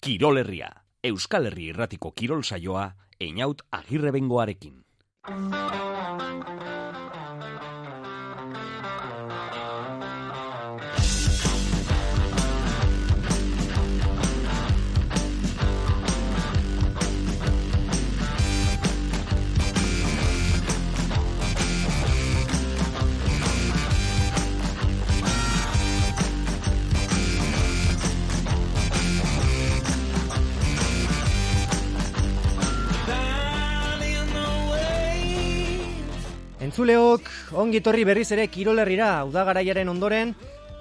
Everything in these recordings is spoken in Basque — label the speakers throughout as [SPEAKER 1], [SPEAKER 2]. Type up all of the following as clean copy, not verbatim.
[SPEAKER 1] Kirol Herria, Euskal Herri Irratiko kirol saioa, Einaut Agirrebengoarekin.
[SPEAKER 2] Entzuleok, ongi etorri berriz ere Kirol Herrira, udagaraiaren ondoren,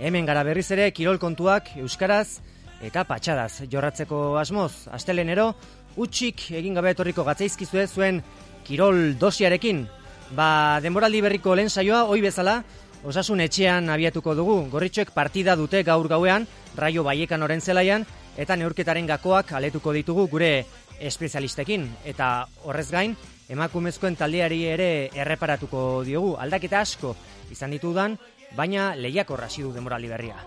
[SPEAKER 2] hemen gara berriz ere kirol kontuak euskaraz eta patxadaz jorratzeko asmoz. Astelenero, utxik egin gabe etorriko gatzaizkizue zuen kirol dosiarekin. Denboraldi berriko lehen saioa, ohi bezala, Osasun etxean abiatuko dugu. Gorritxoek partida dute gaur gauean, Raio Vallecanoren zelaian, eta neurketaren gakoak aletuko ditugu gure espezialistekin. Eta horrez gain, emakumezkoen taldeari ere erreparatuko diogu. Aldaketa asko izan ditudan, baina lehiakor hasi du denboraldi berria.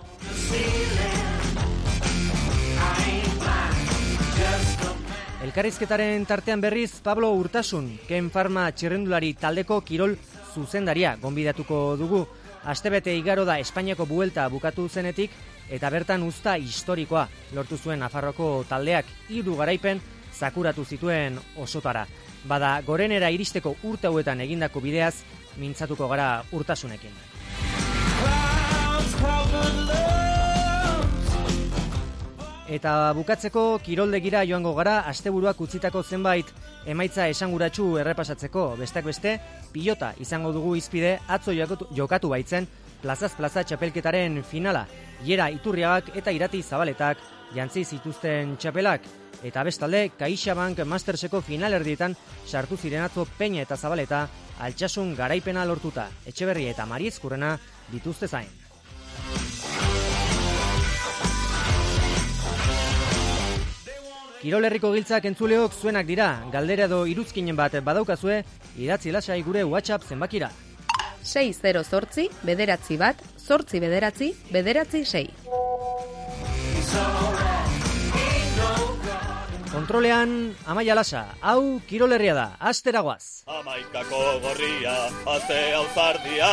[SPEAKER 2] Elkarrizketaren tartean berriz Pablo Urtasun, Ken Pharma txirrendulari taldeko kirol zuzendaria gonbidatuko dugu. Astebete igaro da Espainiako buelta bukatu zenetik eta bertan uzta historikoa lortu zuen Nafarroko taldeak 3 garaipen zakuratu zituen osotara. Gorenera iristeko urte hauetan egindako bideaz mintzatuko gara Urtasunekin. Eta bukatzeko kiroldegira joango gara, asteburuak utzitako zenbait emaitza esanguratsu errepasatzeko. Besteak beste, pilota izango dugu izpide, atzo jokatu baitzen plazaz plaza txapelketaren finala. Iera Iturriagak eta Irati Zabaletak jantzi zituzten txapelak. Eta bestalde, CaixaBank Masterseko finalerdietan sartu ziren atzo Peña eta Zabaleta altsasun garaipena lortuta. Etxeberri eta Mariezkurrena dituzte zain. Kirol Herriko giltzak entzuleok zuenak dira. Galdera edo iruzkinen bat badaukazue, idatzi lasai gure WhatsApp zenbakira.
[SPEAKER 3] 608 bederatzi bat, 8 bederatzi, bederatzi 6.
[SPEAKER 2] Kontrolean, Amaia Lasa, hau Kirol Herria da, asteragoaz.
[SPEAKER 4] Amaikako gorria, aste auzardia,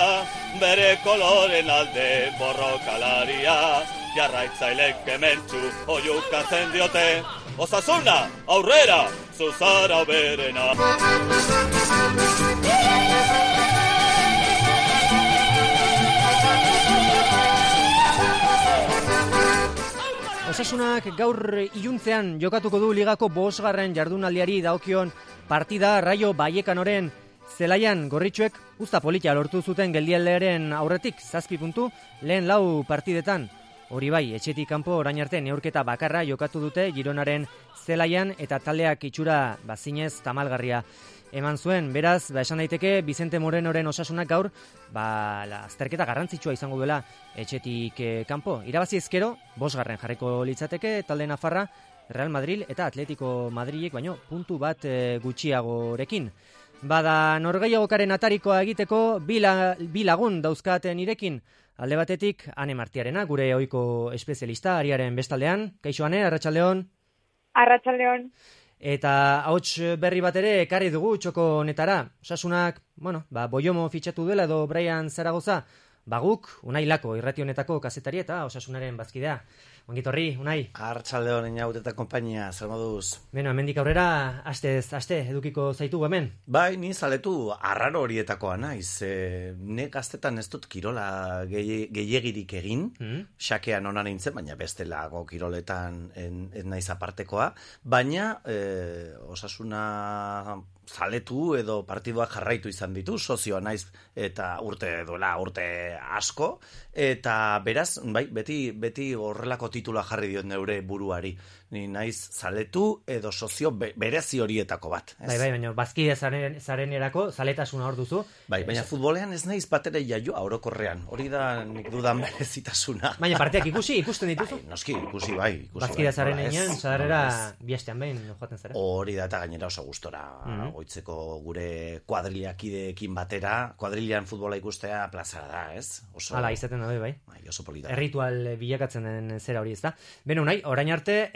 [SPEAKER 4] bere koloren alde borrokalaria, jarraitzailek hementsu oiukatzen diote, Osasuna, aurrera, zuzara berena.
[SPEAKER 2] Osasunak gaur iluntzean jokatuko du ligako 5. jardunaldiari dagokion partida Raio Vallecanoren zelaian. Gorritxoek uzta polita lortu zuten geldialdearen aurretik 7 puntu lehen 4 partidetan. Hori bai, etxetik kanpo orain arte neurketa bakarra jokatu dute Gironaren zelaian eta taldeak itxura zinez tamalgarria eman zuen. Beraz, esan daiteke Vicente Morenoren Osasunak gaur azterketa garrantzitsua izango duela etxetik kanpo. Irabazi ezkero, 5. jarriko litzateke talde nafarra Real Madrid eta Atletico Madrilek baino puntu bat gutxiagorekin. Norgehiagokaren atarikoa egiteko bi lagun dauzkaten irekin. Alde batetik, Ane Martiarena, gure ohiko espezialista, Ariaren bestaldean. Kaixo, Ane, arratsaldeon.
[SPEAKER 5] Arratsaldeon.
[SPEAKER 2] Eta hauts berri bat ere ekarri dugu txoko honetara. Osasunak, Boiomo fitxatu dela edo Brian Zaragoza, guk, Unai Lako, irrati honetako kazetari eta Osasunaren bazkidea. Ongitorri, Unai.
[SPEAKER 6] Arratsaldeon Einaut eta konpainia, zer moduz?
[SPEAKER 2] Hemendik aurrera, aste edukiko zaitugu hemen.
[SPEAKER 6] Bai, ni zaletu arraro horietakoa naiz. Ne gaztetan ez dut kirola gehiegirik egin, xakean onan nintzen, baina bestelago kiroletan ez naiz apartekoa, baina Osasuna zaletu edo partiduak jarraitu izan ditu, sozioa naiz eta urte asko, eta beraz, bai, beti horrelako titula jarri diot neure buruari. Ni naiz zaletu edo sozio berezi horietako bat. Ez?
[SPEAKER 2] Bai, baina bazkide zarenerako zaletasuna hor duzu.
[SPEAKER 6] Bai, baina futbolean ez naiz batere jaioa orokorrean. Hori da nik dudan berezitasuna.
[SPEAKER 2] Baina partiak ikusten dituzu?
[SPEAKER 6] Bai, noski, ikusi bai.
[SPEAKER 2] Bazkide zarenean, sadarrera bihastean behin joaten zara.
[SPEAKER 6] Hori da eta gainera oso gustora goitzeko gure kuadrilakideekin batera, kuadrilan futbola ikustea plazara da, ez?
[SPEAKER 2] Hala, izaten da, bai.
[SPEAKER 6] Bai, oso polita.
[SPEAKER 2] Erritual bilakatzen den zera hori, ez da? Beno, nahi, orain arte,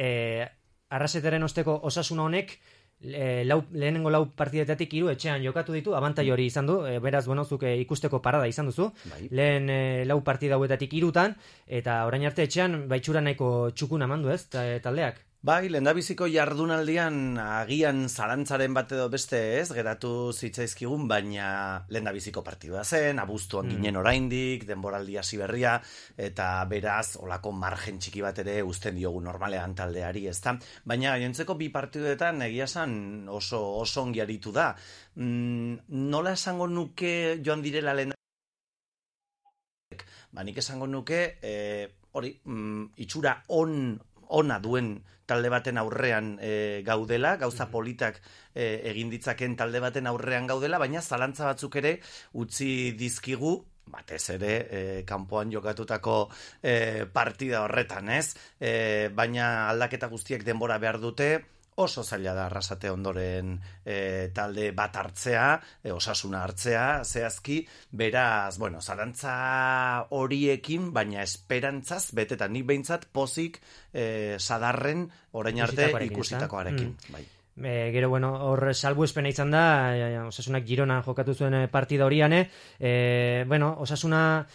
[SPEAKER 2] Arraseteren osteko Osasuna honek lehenengo 4 partidetatik 3 etxean jokatu ditu, abantai hori izan du, beraz, bueno, zuk ikusteko parada izan duzu, lehen 4 partida hauetatik 3tan, eta orain arte etxean baitxura nahiko txukuna mandu ez, taldeak.
[SPEAKER 6] Bai, lehendabiziko jardunaldian agian zalantzaren bat edo beste ez, geratu zitzaizkigun, baina lehendabiziko partidua zen, abuztuan ginen oraindik, denboraldi hasi berria, eta beraz, olako margen txiki bat ere uzten diogu normalean taldeari, ezta? Baina gainontzeko 2 partiduetan egia esan oso ongi aritu da. Nola esango nuke joan direla lehen? Nik esango nuke, itxura ona duen talde baten aurrean gaudela, gauza politak egin ditzaken talde baten aurrean gaudela, baina zalantza batzuk ere utzi dizkigu, batez ere kanpoan jokatutako partida horretan, ez? Baina aldaketa guztiek denbora behar dute, oso zaila da Arrasate ondoren talde bat hartzea, Osasuna hartzea, zehazki, beraz, bueno, zalantza horiekin, baina esperantzaz, betetan nik behintzat pozik sadarren orain arte ikusitakoarekin. Bai.
[SPEAKER 2] Gero, bueno, hor salbuespena izan da, Osasunak Girona jokatu zuen partida horian, bueno, Osasuna,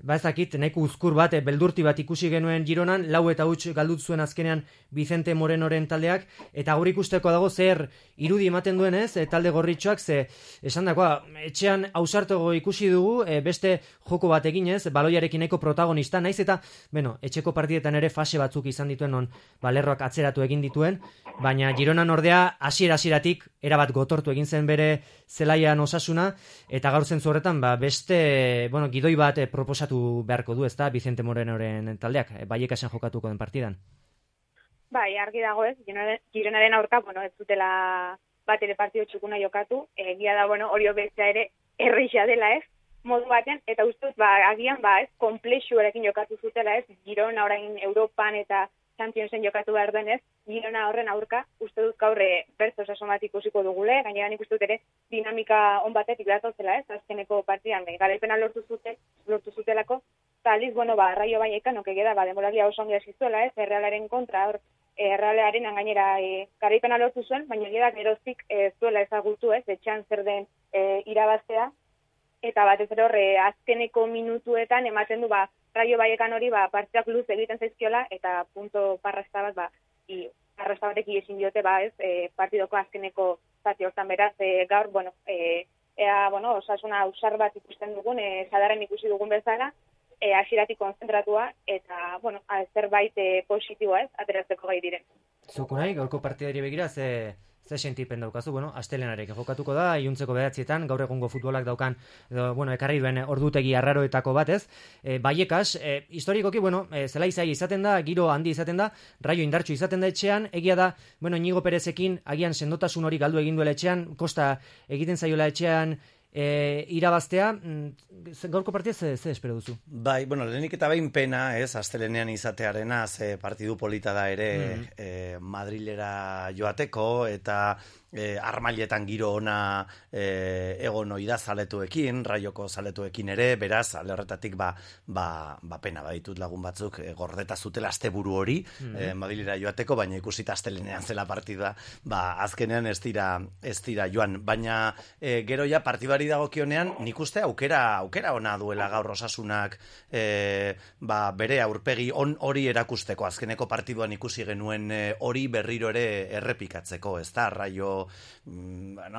[SPEAKER 2] ez dakit, nahiko uzkur bat, beldurti bat ikusi genuen Gironan, 4-0 galdut zuen azkenean Vicente Morenoren taldeak, eta gaur ikusteko dago zer irudi ematen duen ez, talde gorritxoak, ze esan dakoa, etxean ausartogo ikusi dugu, beste joko bat eginez, baloiarekin nahiko protagonista, naiz eta, bueno, etxeko partidetan ere fase batzuk izan dituen non, Lerroak atzeratu egin dituen, baina Gironan ordea hasieratik erabat gotortu egin zen bere zelaian Osasuna, eta gaur zentzu horretan beste, bueno, gidoi bat proposatu beharko du, ezta, Vicente Morenoren taldeak, Baiekasen jokatuko den partidan.
[SPEAKER 5] Bai, argi dago ez, Gironaren aurka, bueno, ez dutela bat ere partido txukuna jokatu, egia da, bueno, hori bestea ere erreixa dela ez, modu baten, eta ustuz, agian, ez, komplexuarekin jokatu zutela ez, Girona orain Europan eta Championsen jokatu behar denez, Girona horren aurka, uste dut gaur bertzo osasun bat ikusiko dugule, gainean ikustu ere dinamika on batetik datozela ez, azkeneko partidan, garaipena lortu zutelako, eta aliz, bueno, Raio Vallecano, egeda, denboralia oso ongi hasi zuela ez, Errealaren kontra, hor, Errealaren gainera garaipena lortu zuen, baina egeda geroztik zuela ezagutu ez, etxean zer den irabaztea, eta batez ere hor, azkeneko minutuetan ematen du, Raio Vallecano hori partidak luz egiten zaizkiola eta punto parrasta bat parrasta batek ezin diote partidoko azkeneko zati hortan beraz gaur bueno Osasuna ausar bat ikusten dugun sadarren ikusi dugun bezala hasieratik konzentratua eta bueno zerbait positiboa ez ateratzeko gai diren.
[SPEAKER 2] Zuko nahi gaurko partidari begira ze sentipen daukazu, bueno, astelenarekin jokatuko da, iluntzeko 9etan, gaur egungo futbolak daukan, ekarri duen ordutegi arraroetako batez. Baiekas, historikoki, bueno, zelai zai izaten da, giro handi izaten da, Raio indartsu izaten da etxean, egia da, bueno, Inigo Perezekin, agian sendotasun hori galdu egin duela etxean, kosta egiten zaiola etxean irabaztea, gaurko partida ze espero duzu?
[SPEAKER 6] Bai, bueno, lehenik eta behin pena, ez, astelenean izatearena, ze partidu polita da ere Madrilera joateko, eta armailetan giro ona egon oida zaletuekin, Raioko zaletuekin ere, beraz, alde horretatik pena baditut lagun batzuk gordeta zutela asteburu hori, Madrilera joateko, baina ikusita astelenean zela partida, azkenean ez dira joan, baina gero ja partibari dagokionean, nik uste aukera ona duela gaur Osasunak bere aurpegi hori erakusteko, azkeneko partiduan ikusi genuen hori berriro ere errepikatzeko, ez da, Raio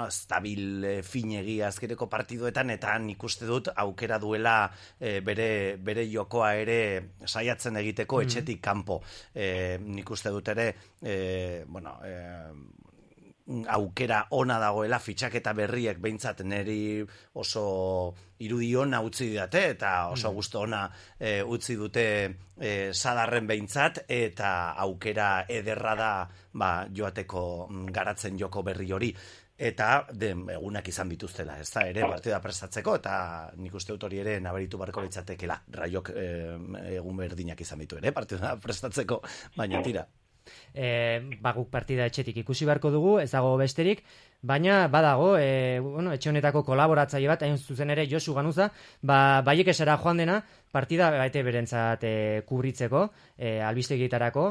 [SPEAKER 6] estabil finegi azkeneko partiduetan, eta nik uste dut aukera duela bere jokoa ere saiatzen egiteko etxetik kanpo. Nik uste dut ere aukera ona dagoela, fitxaketa berriek behintzat neri oso irudi ona utzi didate eta oso gustu ona utzi dute sadarren behintzat, eta aukera ederra da joateko garatzen joko berri hori. Eta egunak izan bituztela, ez da, ere partida prestatzeko, eta nik uste dut hori ere nabaritu barko litzatekela. Raiok egun berdinak izan bitu ere partida prestatzeko, baina tira.
[SPEAKER 2] Guk partida etxetik ikusi beharko dugu, ez dago besterik, baina badago, etxe honetako kolaboratzaile bat, hain zuzen ere Josu Ganuza, Baiekesera joan dena, partida baite berentzat kubritzeko, albistegietarako,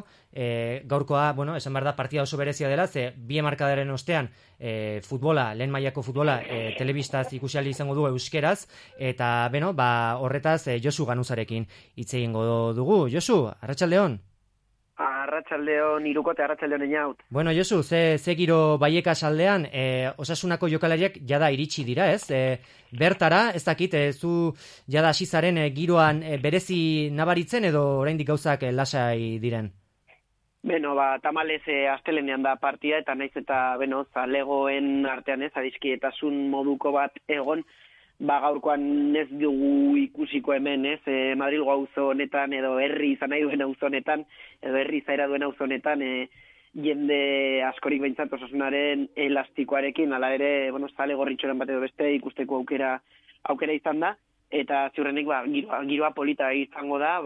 [SPEAKER 2] gaurkoa, esan behar da, partida oso berezia dela, ze bi hamarkadaren ostean futbola, lehen mailako futbola, telebistaz ikusi ahal izango du euskeraz, eta horretaz Josu Ganuzarekin hitz egingo dugu. Josu, arratsaldeon.
[SPEAKER 7] Arratsaldeon, Irukote, arratsaldeon Eñaut.
[SPEAKER 2] Josu, ze giro Baiekaz aldean, Osasunako jokalariak jada iritsi dira, ez? Bertara, ez dakit, zu jada hasi zaren giroan berezi nabaritzen edo oraindik gauzak lasai diren?
[SPEAKER 7] Tamalez astelenean da partia, eta naiz eta, zalegoen artean ez, adiskietasun moduko bat egon, gaurkoan ez dugu ikusiko hemen, ez, Madrilgo auzo honetan, edo herri izan nahi duen auzo honetan, edo herri izaera duen auzo honetan, jende askorik behintzat Osasunaren elastikoarekin, ala ere, zale gorritxoren bat edo beste ikusteko aukera izan da, eta ziurrenik, giroa polita izango da,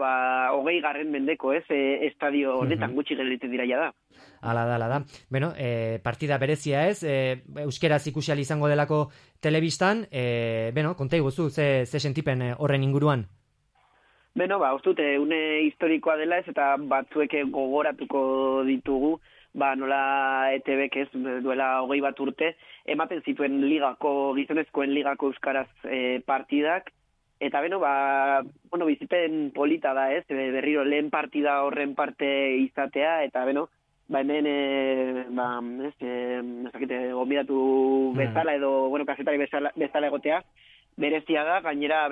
[SPEAKER 7] 20. mendeko, ez, estadio honetan gutxi gelditzen dira ja da.
[SPEAKER 2] Ala da. Partida berezia ez, euskeraz ikusi ahal izango delako telebistan, konta iguzu, ze sentipen horren inguruan?
[SPEAKER 7] Ustute, une historikoa dela ez, eta batzuek gogoratuko ditugu, nola ETBek ez, duela 21 urte, ematen zituen gizonezkoen ligako euskaraz partidak, eta bizipen polita da ez, berriro lehen partida horren parte izatea, eta hemen, gonbidatu bezala edo, kazetari bezala egotea, berezia da, gainera,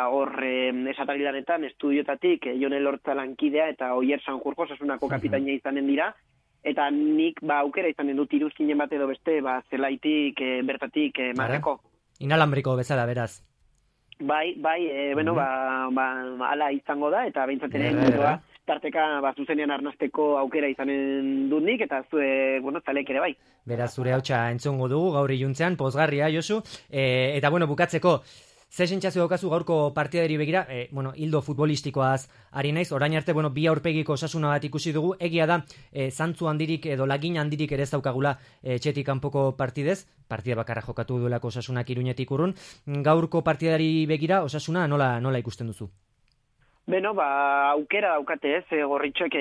[SPEAKER 7] hor esatarilanetan, estudiotatik, Jone Lortza lankidea, eta Oier Sanjurjo, Osasunako kapitaina izanen dira, eta nik, aukera izanen dut iruzkinen bat edo beste, zelaitik, bertatik, marreko.
[SPEAKER 2] Inalambriko bezala, beraz.
[SPEAKER 7] Ala izango da, eta behintzatenen tarteka zuzenean arnasteko aukera izanen dut nik, eta zue, zalek ere bai.
[SPEAKER 2] Beraz, zure hautsa entzongo dugu, gaur iluntzean, pozgarria, Josu, eta bukatzeko, ze sentsazio daukazu gaurko partidari begira, hildo futbolistikoaz ari naiz, orain arte, bi aurpegiko Osasuna bat ikusi dugu, egia da, zantzu handirik edo lagin handirik ere ez daukagula etxetik kanpoko partidez, partida bakarra jokatu duelako Osasunak Iruñetik urrun, gaurko partidari begira, Osasuna nola ikusten duzu?
[SPEAKER 7] Aukera daukate ez, gorritxoek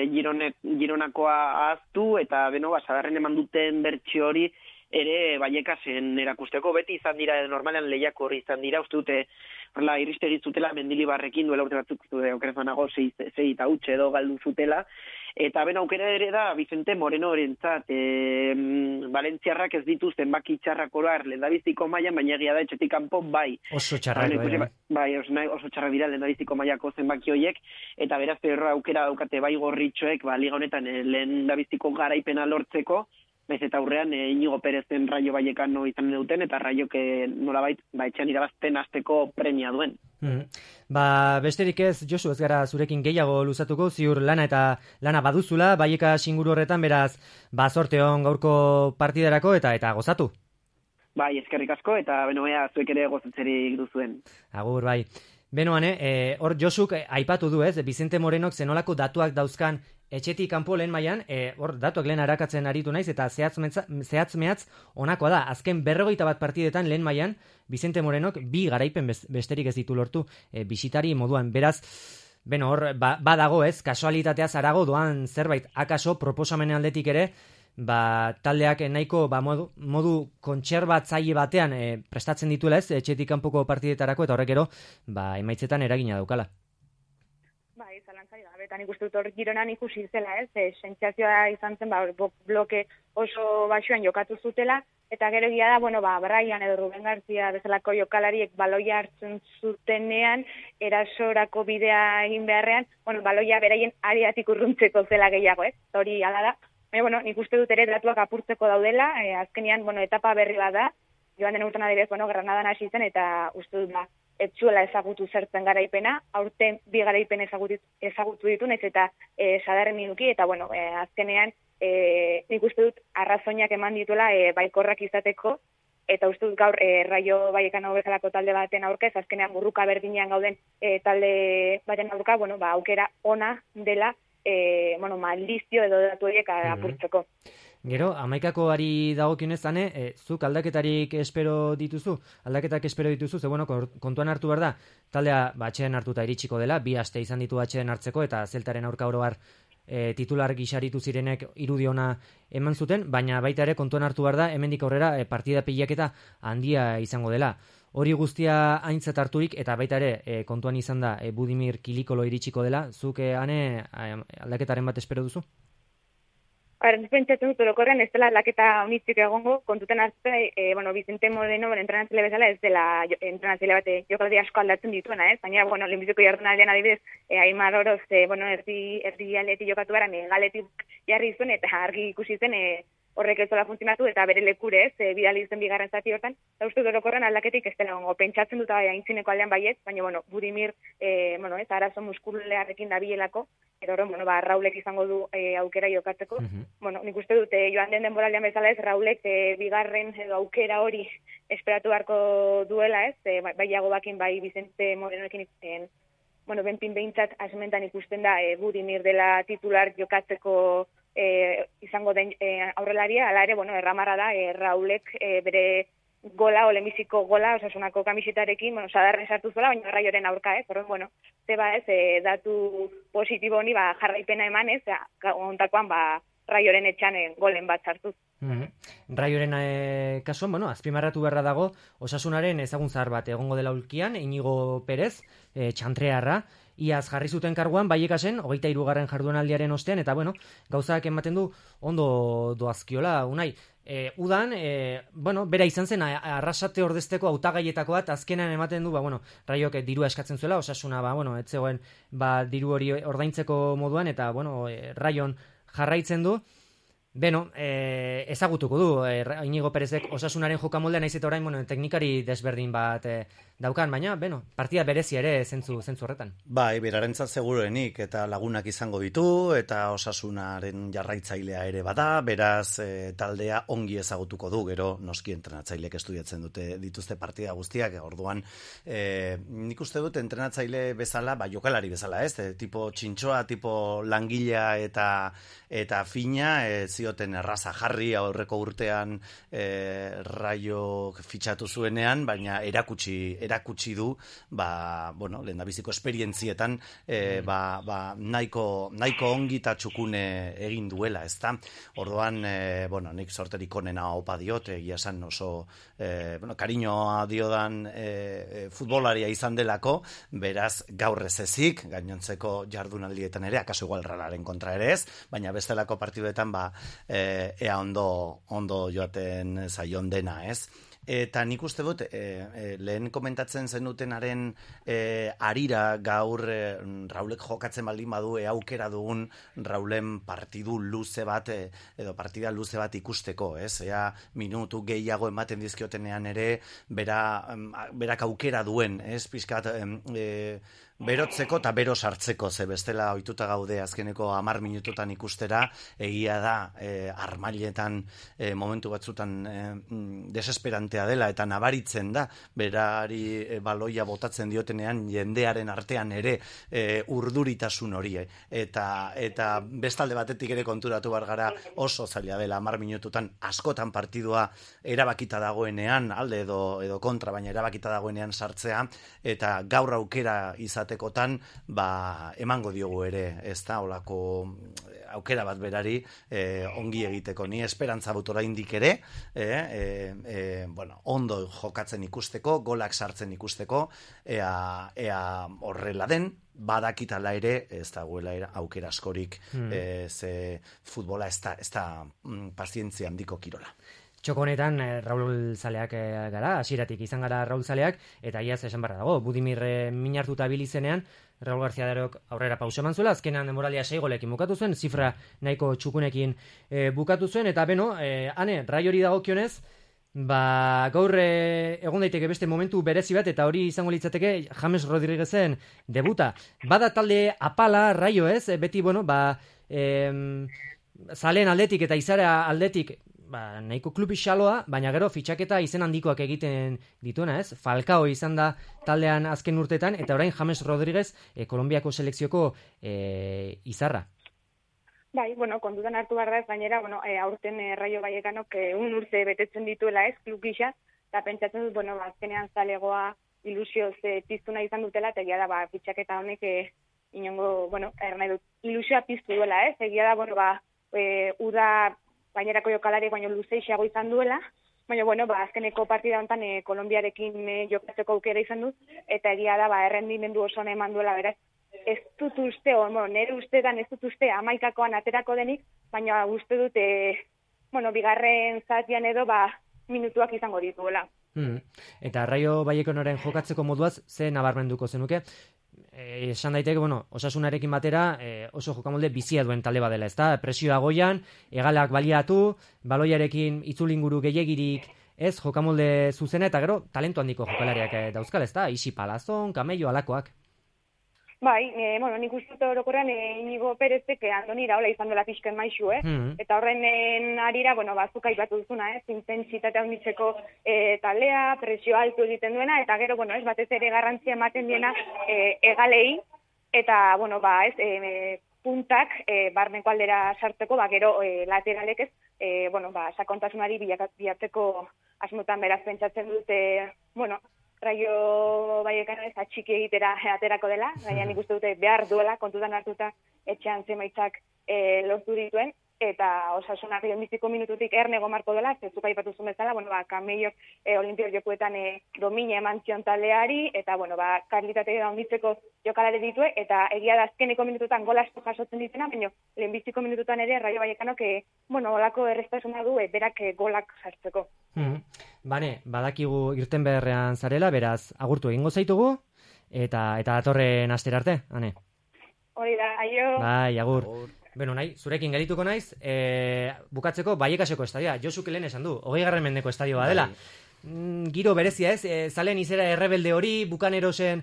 [SPEAKER 7] Gironakoa ahaztu, eta sadarren eman duten bertsio hori ere Baiekasen erakusteko, beti izan dira, normalean lehiako hori izan dira, uste dute, iristegi zutela Mendilibarrekin duela urte batzuk, okerezanago 6-8 edo galdu zutela, eta aukera ere da Vicente Moreno orentzat, Valentziarrak ez ditu zenbaki txarrak orar lehendabiziko mailan, baina egia da etxetik kanpo bai.
[SPEAKER 2] Oso txarrak,
[SPEAKER 7] oso txarrak dira lehendabiziko mailako zenbaki horiek, eta beraz aukera daukate bai gorritxoek, liga honetan lehendabiziko garaipena lortzeko, naiz eta aurrean Inigo Perezen Raio Vallecano izan duten, eta Raiok nolabait etxean irabazten hasteko premia duen.
[SPEAKER 2] Besterik ez, Josu, ez gara zurekin gehiago luzatuko, ziur lana baduzula, Baieka inguru horretan, beraz, zorte hon gaurko partidarako eta gozatu.
[SPEAKER 7] Eskerrik asko, eta ea zuek ere gozatzerik duzuen.
[SPEAKER 2] Agur, bai. Hor Josuk aipatu du ez, Vicente Morenok zenolako datuak dauzkan etxetik kanpo lehen mailan, hor datuak lehen arakatzen aritu naiz, eta zehatz-mehatz onakoa da. Azken 41 partidetan lehen mailan, Vicente Morenok 2 garaipen besterik ez ditu lortu bisitari moduan. Beraz, hor badago ez, kasualitateaz arago doan zerbait, akaso proposamenen aldetik ere, taldeak nahiko modu kontserbatzaile batean prestatzen dituela ez, etxetik kanpoko partidetarako, eta horrek ero, emaitzetan eragina daukala.
[SPEAKER 5] Zalantzari gabe, eta nik uste dut hor Gironan ikusi zela, ez, sentsazioa izan zen, bloke oso baxuan jokatu zutela, eta gero egia da, Brian edo Ruben García bezalako jokalariek baloia hartzen zutenean, erasorako bidea egin beharrean, baloia beraien ariatik urruntzeko zela gehiago, ez, hori ala da. Nik uste dut ere datuak apurtzeko daudela, azkenean, etapa berri bat da, joan den urtean adibidez, Granadan hasi zen, eta uste dut ez zuela ezagutu zertzen garaipena, aurten 2 garaipen ezagutu ditu, naiz eta sadarren minuki, eta azkenean nik uste dut arrazoinak eman dituela baikorrak izateko, eta uste dut gaur Raio Vallecano bezalako talde baten aurka, ez azkenean burruka berdinean gauden talde baten aurka, aukera ona dela maldizio edo datu horiek apurtzeko.
[SPEAKER 2] Gero, 11koari dagokionez, zuk aldaketak espero dituzu, ze bueno, kontuan hartu behar da, taldea atxeden hartuta iritsiko dela, 2 aste izan ditu atxeden hartzeko, eta Zeltaren aurka oro har titular gixaritu zirenek irudiona eman zuten, baina baita ere kontuan hartu behar da, hemendik aurrera partida pilaketa handia izango dela. Hori guztia aintzat harturik, eta baita ere kontuan izan da Budimir Kilikolo iritsiko dela, zuk aldaketaren bat espero duzu?
[SPEAKER 5] Pentsatzen dut, orokorren ez dela aldaketa unitzik egongo, kontuten hartze, Vicente Moreno, entrenatzaile bezala, ez dela entrenatzaile bat jokaldi asko aldatzen dituena, baina, lehenbiziko jardunaldian adibidez, Aimar Oroz, erdi aldetik jokatu gara, galetik jarri zuen, eta argi ikusi zen, horrek ez dola funtzionatu, eta bere lekure bidali zen bigarren zati hortan, eta uste orokorren aldaketik ez dela gongo, pentsatzen dut aintzineko aldean baiet, baina, Budimir, arazo muskulearrekin dabilelako, edo Raulek izango du aukera jokatzeko. Nik uste dut, joan den denboraldean bezala ez, Raulek bigarren edo aukera hori esperatu beharko duela ez, bai Jagobakin, bai Vicente Morenoekin benpin behintzat asmentan ikusten da Budimir dela titular jokatzeko izango den aurrelaria, ala ere, erramarra da, Raulek bere gola, lehenbiziko gola, Osasunako kamisetarekin, sadarren sartu zuela, baina Raioren aurka, horren, datu positibo honi, jarraipena eman, ontakoan, Raioren etxan golen bat sartuz.
[SPEAKER 2] Raioren kasuan, azpimarratu beharra dago, Osasunaren ezagun zahar bat egongo dela ulkian, Inigo Perez, txantrearra, iaz jarri zuten karguan, Baiekasen, 23. jardunaldiaren ostean, eta gauzak ematen du ondo doazkiola, Unai. Udan, bera izan zen Arrasate ordezteko hautagaietako bat, azkenan ematen du, Raiok dirua eskatzen zuela, Osasuna, ez zegoen diru hori ordaintzeko moduan, eta, Raion jarraitzen du. Ezagutuko du Inigo Perezek Osasunaren jokamoldean, naiz eta orain teknikari desberdin bat daukan, baina partida berezia ere zentzu horretan.
[SPEAKER 6] Bai, berarentzat seguruenik, eta lagunak izango ditu, eta Osasunaren jarraitzailea ere bada, beraz taldea ongi ezagutuko du, gero noski entrenatzaileek estudiatzen dituzte partida guztiak, orduan nik uste dut entrenatzaile bezala, jokalari bezala, tipo txintxoa, tipo langilea eta fina, zioten erraza jarri aurreko urtean Raio fitxatu zuenean, baina erakutsi du, lehendabiziko esperientzietan nahiko ongi eta txukune egin duela, ezta? Orduan, nik sorterik onena opa diot, egia esan oso kariñoa diodan futbolaria izan delako, beraz gaur ez ezik, gainontzeko jardunaldietan ere, akaso igual Ralaren kontra ere ez, baina bestelako partiduetan ea ondo joaten zaion dena, ez? Eta nik uste dut, lehen komentatzen zenutenaren arira gaur Raulek jokatzen baldin badu aukera dugun Raulen partidu luze bat, edo partida luze bat ikusteko, ez? Ea minutu gehiago ematen dizkiotenean ere, berak aukera duen, ez? Pixkat, berotzeko eta bero sartzeko, ze bestela ohituta gaude azkeneko 10 minututan ikustera, egia da armailetan momentu batzutan desesperantea dela, eta nabaritzen da, berari baloia botatzen diotenean jendearen artean ere urduritasun hori, eta bestalde batetik ere konturatu behar gara oso zaila dela 10 minututan askotan partidua erabakita dagoenean, alde edo kontra, baina erabakita dagoenean sartzea, eta gaur aukera izatekotan, emango diogu ere, ez da, olako aukera bat berari ongi egiteko. Ni esperantza dut oraindik ere, ondo jokatzen ikusteko, golak sartzen ikusteko, ea horrela den, badakitala ere, ez dagoela aukera askorik, ze futbola ez da pazientzia handiko kirola.
[SPEAKER 2] Txoko honetan Raul zaleak gara, hasieratik izan gara Raul zaleak, eta iaz esan barra dago, Budimir min hartuta bilizenean, Raul García Darok aurrera pauso eman zuela, azkenean demoralia 6 golekin bukatu zuen, zifra nahiko txukunekin bukatu zuen, eta Raiori dagokionez, gaur egon daiteke beste momentu berezi bat, eta hori izango litzateke James Rodriguezen debuta. Bada talde apala Raio, ez? Beti, zaleen aldetik eta izara aldetik, nahiko klubi xaloa, baina gero fitxaketa izen handikoak egiten dituena, ez? Falcao izan da taldean azken urtetan, eta orain James Rodriguez Kolonbiako selekzioko izarra.
[SPEAKER 5] Bai, bueno, kontutan hartu behar da ez gainera, bueno, aurten Rayo Vallecanok 1 urte betetzen dituela ez, klub gisa, eta pentsatzen dut, bueno, azkenean zalegoa ilusioz piztu nahi izan dutela, eta egia da, fitxaketa honek inongo, bueno, nahi dut, ilusioa piztu duela ez, egia da, bueno, uda gainerako jokalari baino luzeixeago izan duela, baina, bueno, azkeneko partida honetan Kolonbiarekin jokatzeko aukera izan dut, eta egia da, errendimendu oso eman duela, beraz, ez dut uste, nire ustetan ez dut uste 11koan aterako denik, baina uste dut, bigarren zatian edo, minutuak izango dituela.
[SPEAKER 2] Eta Rayo Vallecanoren jokatzeko moduaz, ze nabarmenduko zenuke? Esan daiteke, osasunarekin batera oso jokamolde bizia duen talde badela, ezta? Presioa goian, hegalak baliatu, baloiarekin itzulinguru gehiagirik, ez jokamolde zuzena, eta gero talentu handiko jokalariak dauzkal, ezta? Isi Palazon, Camello, alakoak.
[SPEAKER 5] Bai, nik uste dut orokorrean Inigo Perezek Andoni Iraola izan dela pixken maizu, Eta horren arira, bazuk aipatu duzuna, intentsitatea handitzeko taldea, presio altu egiten duena, eta gero, batez ere garrantzia ematen diena egalei, eta, puntak barneko aldera sartzeko, gero lateralek ez, sakontasunari bilatzeko asmotan beraz pentsatzen dute, Rayo Vallecano ez atxiki egitera aterako dela, baina nik uste dute behar duela, kontutan hartuta etxean zemaitzak lortu dituen, eta Osasunak lehenbiziko minututik ernego marko dela, zezuk aipatu zuen bezala, Camello Olimpiar jokuetan domina eman zion taldeari, eta karlitate handitzeko jokalare ditue, eta egia da azkeneko minututan gol asko jasotzen ditena, baina lehenbiziko minututan ere Rayo Vallecanok olako errestasuna du berak golak sartzeko.
[SPEAKER 2] Bane, badakigu irten beharrean zarela, beraz, agurtu egingo zaitugu, eta datorren astera arte, Ane.
[SPEAKER 5] Hori da, aio.
[SPEAKER 2] Bai, agur. Beno, zurekin gelituko naiz, bukatzeko Vallecaseko estadioa, Josuk lehen esan du, 20. mendeko estadioa dela. Giro berezia ez, zalen izera errebelde hori, bukanerosen,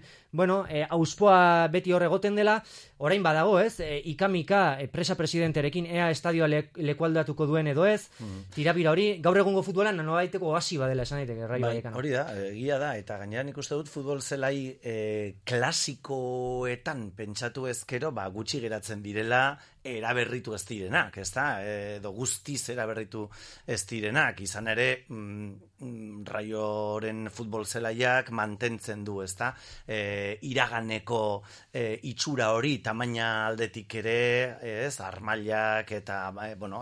[SPEAKER 2] auspoa beti hor egoten dela, orain badago ez, ikamika presa presidenterekin ea estadioa lekualdatuko duen edo ez, tirabira hori, gaur egungo futbolan nobaiteko oasi badela esan daiteke Rayo Vallecano.
[SPEAKER 6] Hori da, egia da, eta gainera nik uste dut futbol zelai klasikoetan pentsatu ezkero, gutxi geratzen direla, eraberritu ez direnak, ezta? Edo guztiz eraberritu ez direnak, izan ere Rayoren futbol zelaiak mantentzen du, ezta? Iraganeko itxura hori tamaina aldetik ere, ez? Armailak eta,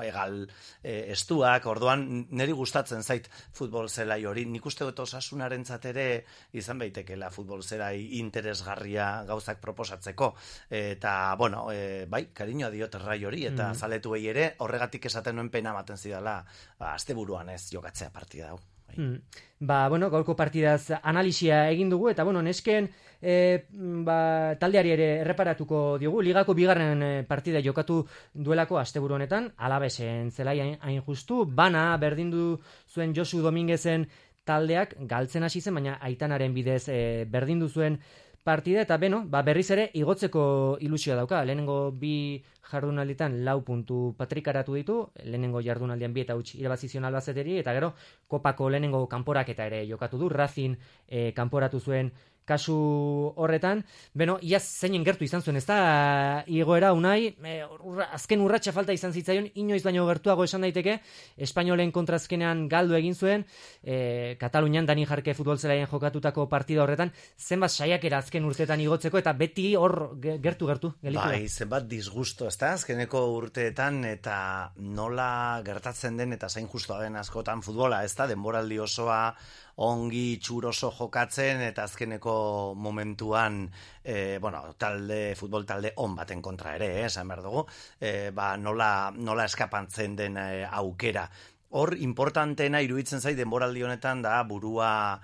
[SPEAKER 6] egal estuak, orduan niri gustatzen zait futbol zelai hori. Nik uste dut Osasunarentzat ere izan baitekela futbol zelai interesgarria gauzak proposatzeko. Eta, bai, kariñoa diot Rayo hori, eta zaletuei ere, horregatik esaten nuen pena ematen zidala, asteburuan ez jokatzea partida hau.
[SPEAKER 2] Gaurko partidaz analisia egin dugu, eta nesken taldeari ere erreparatuko diogu, ligako bigarren partida jokatu duelako asteburu honetan, Alavesen zelai hain justu, bana berdindu zuen Josu Dominguezen taldeak galtzen hasi zen, baina Aitanaren bidez berdindu zuen partida, eta berriz ere igotzeko ilusioa dauka. Lehenengo bi jardunalditan 4 puntu patrikaratu ditu, lehenengo jardunaldian 2 eta huts irabazizion Albazeteri, eta gero kopako lehenengo kanporaketa ere jokatu du, Racing kanporatu zuen kasu horretan. Iaz zeinen gertu izan zuen, ez da igoera Unai, azken urratsa falta izan zitzaion, inoiz baino gertuago esan daiteke, Espainolen kontrazkenean galdu egin zuen, Katalunian Dani Jarke futbol zelaien jokatutako partida horretan, zenbat saiakera azken urteetan igotzeko, eta beti hor gertu gelitu.
[SPEAKER 6] Bai, zenbat disgusto, ez da, azkeneko urteetan, eta nola gertatzen den, eta zain justoa den askotan futbola, ez da, denboraldi osoa, ongi txuroso jokatzen, eta azkeneko momentuan futbol talde on baten kontra ere, esan behar dugu, nola eskapantzen den aukera. Hor, importanteena iruditzen zait denboraldi honetan da burua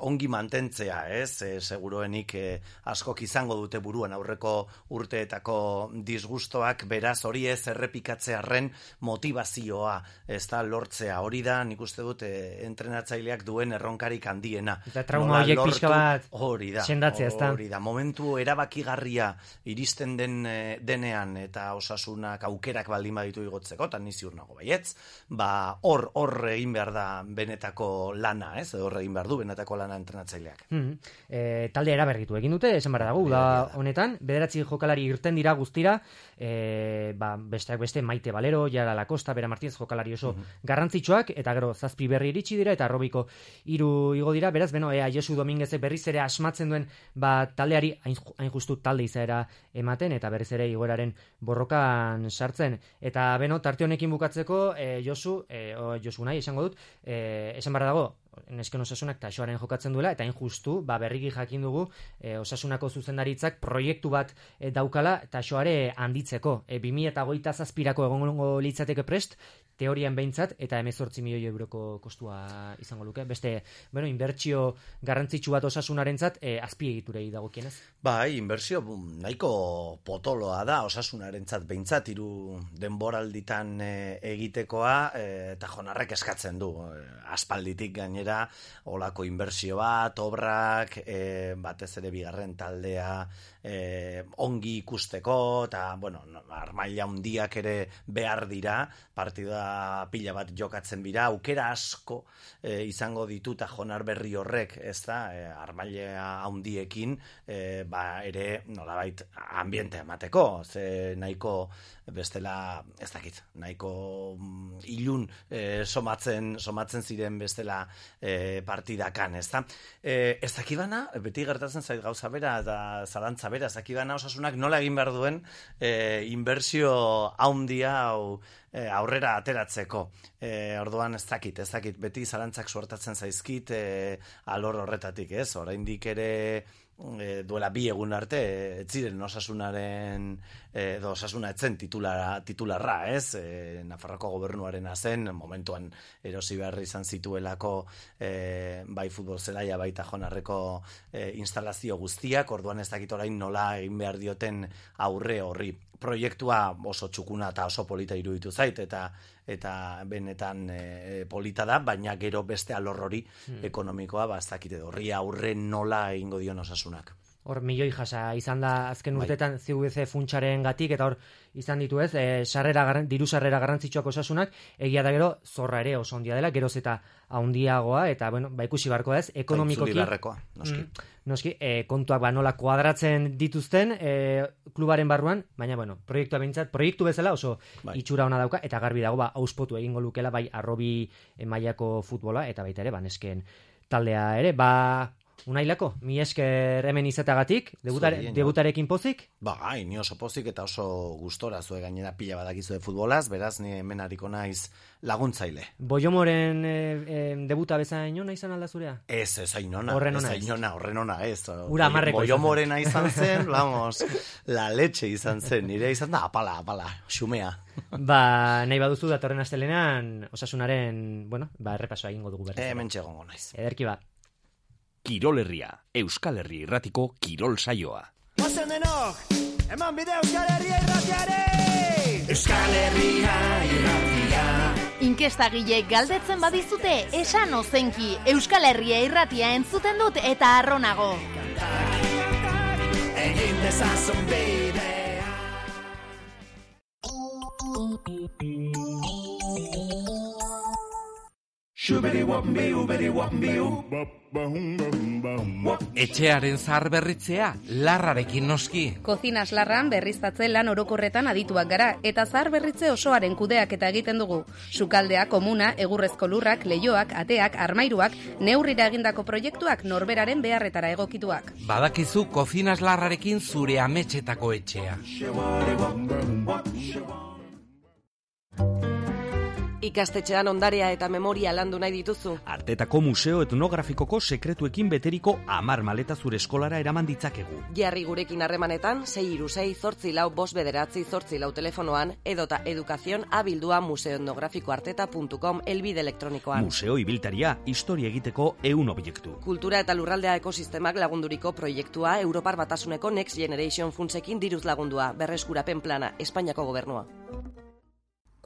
[SPEAKER 6] ongi mantentzea, seguruenik askok izango dute buruan aurreko urteetako disgustoak, beraz hori ez errepikatzearren motivazioa, ez da lortzea, hori da nik uste dut entrenatzaileak duen erronkarik handiena.
[SPEAKER 2] Eta trauma horiek pixka bat
[SPEAKER 6] sendatzea, ez da. Hori da, momentu erabakigarria iristen denean eta Osasunak aukerak baldin baditu igotzeko, eta ni ziur nago baietz. baietz, hor egin behar da benetako lana, ez? Hor egin behar du benetako lana entrenatzaileak.
[SPEAKER 2] Talde eraberritu egin dute, esan behar dago, da honetan, 9 jokalari irten dira guztira, besteak beste Maite Valero, Jara Lacosta, Bera Martínez jokalari oso garrantzitsuak, eta gero 7 berri iritsi dira, eta Robiko 3 igo dira, beraz, Josu Dominguezek berriz ere asmatzen duen, taldeari hain justu talde izaera ematen, eta berriz ere igoeraren borrokan sartzen. Eta tarte honekin bukatzeko, Josu nahi esango dut, esan behar dago, nesken Osasunak Taxoaren jokatzen duela, eta hain justu, berriki jakin dugu, Osasunako zuzendaritzak proiektu bat daukala Taxoare handitzeko. 2027 egongo litzateke prest, teorian behintzat, eta 18 milioi euroko kostua izango luke. Beste, inbertsio garrantzitsu bat Osasunarentzat azpiegiturei dagokienez.
[SPEAKER 6] Inbertsio nahiko potoloa da Osasunarentzat behintzat, 3 denboralditan egitekoa, eta Jonarrek eskatzen du. Aspalditik gainera, olako inbertsio bat, obrak, batez ere bigarren taldea ongi ikusteko, eta, armaila handiak ere behar dira, partida pila bat jokatzen bira, aukera asko izango ditu, eta Jonar berri horrek, ez da, armaila handiekin, ere, nolabait, ambiente emateko, ze nahiko bestela, ez dakit, nahiko ilun somatzen ziren bestela partidakan, ez da. Ez dakibana, beti gertatzen zait gauza bera, eta zalantza bera, ez dakibana Osasunak nola egin behar duen inbertsio handia aurrera ateratzeko. Orduan ez dakit, beti zalantzak suertatzen zaizkit alor horretatik, ez? Oraindik ere duela 2 egun arte, ez ziren Osasunaren, Osasuna etzen titularra, ez? Nafarroko gobernuarena zen, momentuan erosi behar izan zituelako bai futbol zelaia, baita Jonarreko instalazio guztiak, orduan ez dakit orain nola egin behar dioten aurre horri. Proiektua oso txukuna eta oso polita iruditu zait, eta benetan polita da, baina gero beste alor hori ekonomikoa, ez dakite horri aurre nola egingo dion Osasunak.
[SPEAKER 2] Hor milioi jasa izan da azken urtetan CVC funtsaren gatik, eta hor izan ditu ez, diru sarrera garrantzitsuak Osasunak, egia da gero zorra ere oso handia dela, geroz eta handiagoa, eta ikusi barko ez, ekonomikoki... Noski, kontuak nola kuadratzen dituzten klubaren barruan, baina, proiektua behintzat, proiektu bezala oso itxura ona dauka, eta garbi dago, auspotu egingo lukela, arrobi mailako futbola, eta baita ere, nesken taldea ere, Unailako, mi esker hemen izateagatik, debutarekin pozik?
[SPEAKER 6] Ni oso pozik eta oso gustora zue gainera pila badakizue futbolaz, beraz ni hemen hariko naiz laguntzaile.
[SPEAKER 2] Boiomoren debuta bezain ona izan alda zurea?
[SPEAKER 6] Ez, ainona. Horren ona, ez.
[SPEAKER 2] Ura marreko
[SPEAKER 6] Boiomorena izan zen, la leche izan zen, nire izan da apala, xumea.
[SPEAKER 2] Nahi baduzu datorren astelenean Osasunaren, errepasoa egingo dugu berriz.
[SPEAKER 6] Hemen txegongo naiz.
[SPEAKER 2] Ederki
[SPEAKER 1] Kirol Herria, Euskal Herri irratiko kirol saioa.
[SPEAKER 8] Ozen denok, eman bide Euskal Herria irratiare! Euskal Herria irratia.
[SPEAKER 9] Inkestagileek galdetzen badizute, esan ozenki, Euskal Herria irratia entzuten dut eta arronago.
[SPEAKER 8] Egin dezazun bidea.
[SPEAKER 10] Etxearen zahar berritzea, larrarekin noski.
[SPEAKER 3] Kozinas larran berriztatze lan orokorretan adituak gara, eta zahar berritze osoaren kudeak eta egiten dugu. Sukaldea, komuna, egurrezko lurrak, leihoak, ateak, armairuak, neurrira egindako proiektuak norberaren beharretara egokituak.
[SPEAKER 10] Badakizu Kozinas larrarekin zure ametxetako etxea.
[SPEAKER 11] Ikastetxean ondarea eta memoria landu nahi dituzu.
[SPEAKER 1] Artetako museo etnografikoko sekretuekin beteriko 10 maleta zure eskolara eraman ditzakegu.
[SPEAKER 11] Jarri gurekin harremanetan 636-49-5 telefonoan edota educación@museoetnografikoarteta.com elbide elektronikoan.
[SPEAKER 1] Museo ibiltaria, historia egiteko 100 objektu.
[SPEAKER 11] Kultura eta lurraldea ekosistemak lagunduriko proiektua Europar Batasuneko Next Generation funtsekin diruz lagundua, berreskurapen plana, Espainiako gobernua.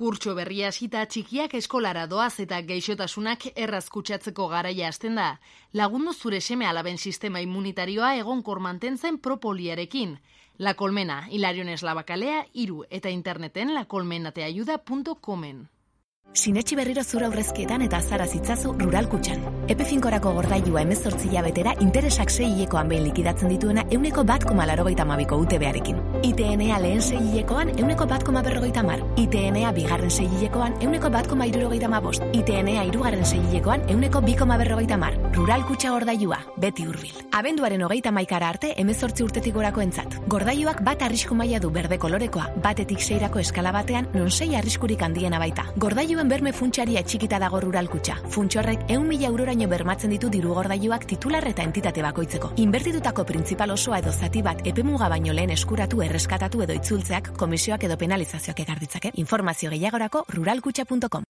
[SPEAKER 9] Kurtso berria hasita txikiak eskolara doaz eta gaixotasunak erraz kutsatzeko garaia hasten da. Lagundu zure seme alaben sistema immunitarioa egonkor mantentzen propoliarekin. La Colmena, Hilarion Eslabakalea 3 eta interneten lacolmenateayuda.comen.
[SPEAKER 12] Sinetxi berriro zura aurrezkietan eta azara zitzazu Rural Kutxan. Epe finkorako gordailua 18 hilabetera interesak 6 hilekoan behin likidatzen dituena 1,82ko UTB-arekin. ITNA lehen 6 hilekoan 1,150. ITNA bigarren 6 hilekoan 1,175. ITNA hirugarren 6 hilekoan 1,250. Rural Kutxa gordailua, beti hurbil. Abenduaren 31 arte 18 urtetik gorakoentzat. Gordailuak bat arrisku maila du berde kolorekoa, batetik 6rako eskala batean, non 6 arriskurik handiena baita. Gordailuen berme funtsaria txikita dago Rural Kutxa. Funtsorrek 100.000 euroraino bermatzen ditu diru gordailuak titular eta entitate bakoitzeko. Inbertitutako printzipal osoa edo zati bat epemuga baino lehen eskuratu, erreskatatu edo itzultzeak komisioak edo penalizazioak ekar ditzake. Informazio gehiagorako ruralkutxa.com.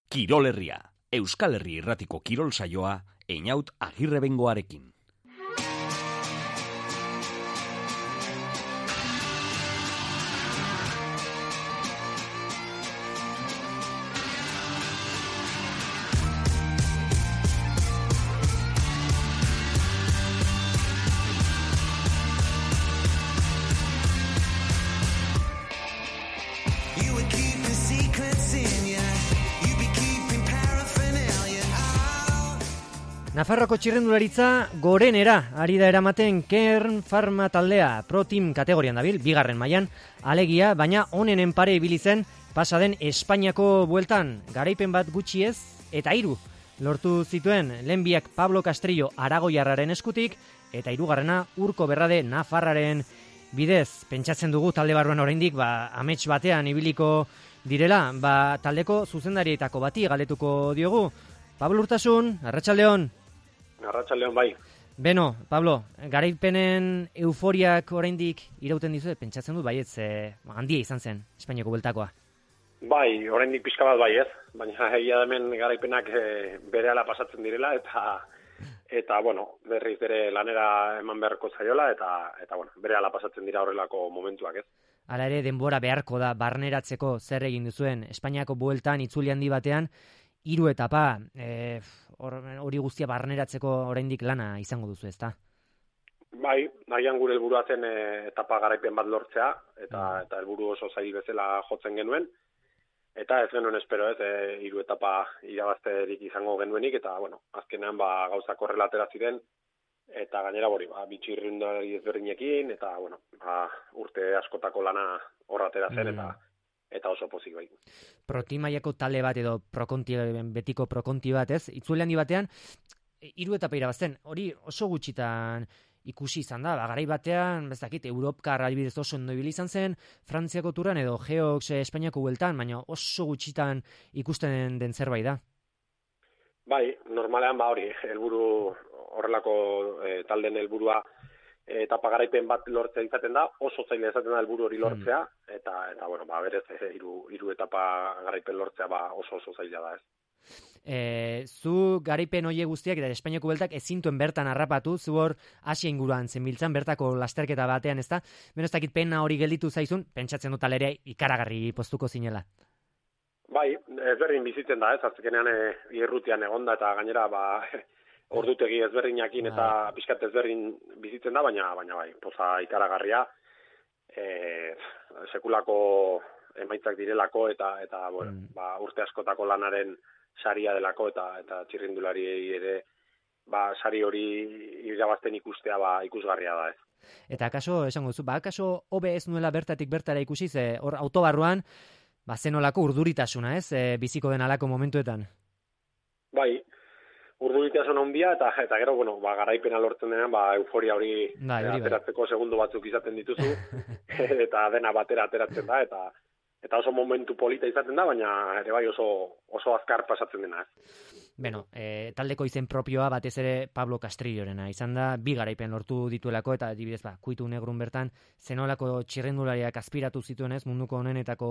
[SPEAKER 1] Kirol Herria, Euskal Herri Irratiko kirol saioa, Einaut Agirrebengoarekin.
[SPEAKER 2] Nafarroko txirrendularitza gorenera ari da eramaten Kern Pharma taldea Pro Team kategorian dabil, bigarren mailan alegia, baina onenen pare ibili zen pasaden Espainiako bueltan garaipen bat gutxi ez eta 3 lortu zituen lehenbiak Pablo Castrillo aragoiarraren eskutik eta hirugarrena Urko Berrade Nafarraren bidez. Pentsatzen dugu talde barruan oraindik amets batean ibiliko direla, taldeko zuzendarietako bati galdetuko diogu. Pablo Urtasun, arratsaldeon.
[SPEAKER 13] Arratsaldeon bai.
[SPEAKER 2] Beno, Pablo, garaipenen euforiak oraindik irauten dizu, pentsatzen dut baietz handia izan zen Espainiako bueltakoa.
[SPEAKER 13] Bai, oraindik pixka bat bai ez, baina egia hemen garaipenak berehala pasatzen direla eta bueno, berriz ere lanera eman beharko zaiola eta bueno, berehala pasatzen dira horrelako momentuak ez.
[SPEAKER 2] Hala ere denbora beharko da barneratzeko zer egin duzuen Espainiako bueltan itzuli handi batean 3 etapa, hori guztia barneratzeko oraindik lana izango duzu, ezta?
[SPEAKER 13] Bai, nahian gure helburua zen etapa garaipen bat lortzea, eta helburu oso zail bezala jotzen genuen, eta ez genuen espero ez, 3 etapa irabazterik izango genuenik, eta bueno, azkenean gauzak horrela atera ziren, eta gainera bitxirrindari ezberdinekin, eta bueno, urte askotako lana horra atera zen, eta oso pozik bai.
[SPEAKER 2] Proti mailako talde bat edo betiko prokonti bat, ez? Itzuli handi batean 3 etapa irabazten. Hori oso gutxitan ikusi izan da. Garai batean, Europkar adibidez oso ondo ibili izan zen, Frantziako Turan edo Geox Espainiako bueltan, baina oso gutxitan ikusten den zerbait da.
[SPEAKER 13] Bai, normalean hori, helburu horrelako talden helburua etapa garaipen bat lortzea izaten da, oso zaila izaten da helburu hori lortzea, eta bueno, berez 3 etapa garaipen lortzea oso zaila da ez.
[SPEAKER 2] Zu garaipen hoie guztiak eta Espainiako bueltak ezintuen bertan harrapatu, zu hor Asia inguruan zenbiltzan bertako lasterketa batean, ezta? Beno, ez dakit pena hori gelditu zaizun, pentsatzen dut alere ikaragarri postuko zinela.
[SPEAKER 13] Bai, ezberdin bizitzen da ez, azkenean irrutian egonda eta gainera ordutegi ezberdinakin eta pixkat ezberdin bizitzen da, baina bai, poza ikaragarria, sekulako emaitzak direlako eta bueno, urte askotako lanaren saria delako eta txirrindulari ere sari hori irabazten ikustea ikusgarria da ez.
[SPEAKER 2] Eta kaso, esango duzu, kaso hobe ez nuela bertatik bertara ikusi, hor autobarruan, zenolako urduritasuna ez, biziko den alako momentuetan?
[SPEAKER 13] Bai, urduritasun handia eta gero, bueno, garaipena lortzen denean, euforia hori ateratzeko segundu batzuk izaten dituzu, eta dena batera ateratzen da, eta oso momentu polita izaten da, baina ere bai oso azkar pasatzen dena.
[SPEAKER 2] Beno, taldeko izen propioa batez ere Pablo Castrillorena izan da, 2 garaipen lortu dituelako, eta adibidez, kuitu negrun bertan, zenolako txirrendulariak aspiratu zituen ez, munduko onenetako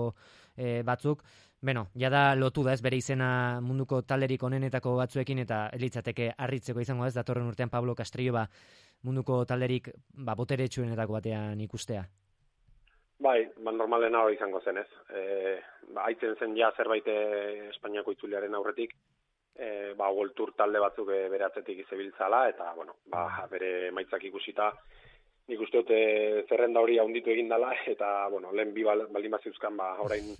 [SPEAKER 2] batzuk. Beno, jada lotu da ez, bere izena munduko talderik onenetako batzuekin, eta elitzateke harritzeko izango ez, datorren urtean Pablo Castrillo munduko talderik boteretsuenetako batean ikustea.
[SPEAKER 13] Bai, normalena hori izango zen ez. Aitzen zen ja zerbait Espainiako itzuliaren aurretik, World Tour talde batzuk bere atzetik izebiltzala, eta bueno, bere emaitzak ikusita, nik uste dut zerrenda hori haunditu egin dela, eta, bueno, lehen bi baldin baziuzkan, orain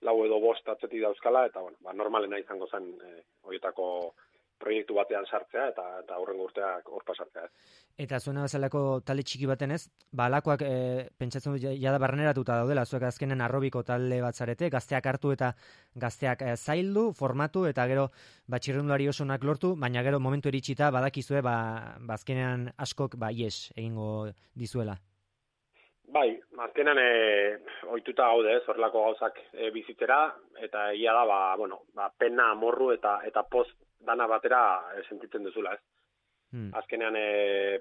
[SPEAKER 13] 4 edo 5 atzetik dauzkala, eta, bueno, normalena izango zen horietako proiektu batean sartzea, eta hurrengo urteak hor pasatzea.
[SPEAKER 2] Eta zuena bezalako talde txiki baten ez, alakoak pentsatzen dut jada barneratuta daudela, zuek azkenen arrobiko talde bat zarete, gazteak hartu eta gazteak zaildu, formatu, eta gero txirrindulari osonak lortu, baina gero momentu iritsita badakizue, azkenean askok ies egingo dizuela.
[SPEAKER 13] Bai, azkenean ohituta gaude, horrelako gauzak bizitzera, eta egia da, pena, amorru eta poz dana batera sentitzen duzula, ez? Azkenean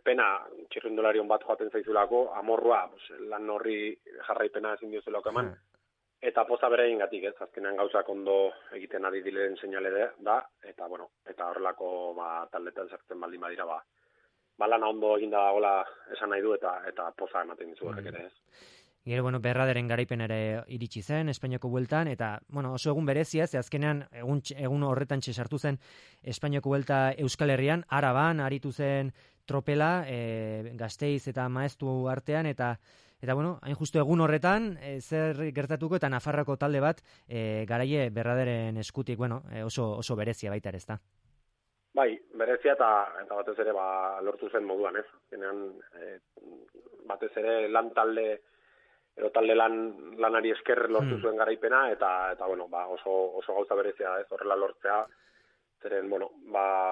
[SPEAKER 13] pena txirrindularion bat joaten zaizulako, amorrua lan horri jarraipena ezin diozulako eman, eta poza berein gatik, ez? Azkenean gauzak ondo egiten ari diren seinale da, eta horrelako taldetan sartzen baldin badira, lana ondo eginda dagoela esan nahi du, eta poza ematen dizu horrek ere, ez?
[SPEAKER 2] Gero, Berraderen garaipen ere iritsi zen, Espainiako bueltan, eta, oso egun berezia, ze azkenean, egun horretan sartu zen Espainiako buelta Euskal Herrian, Araban, aritu zen tropela, Gasteiz eta Maeztu artean, eta hain justu egun horretan, zer gertatuko, eta Nafarroko talde bat, garaie Berraderen eskutik, oso berezia baita ere, ezta?
[SPEAKER 13] Bai, berezia eta batez ere lortu zen moduan, ez? Zenean, batez ere lan talde, edo talde lanari esker lortu zuen garaipena, eta oso gauza berezia, ez, horrela lortzea, zeren,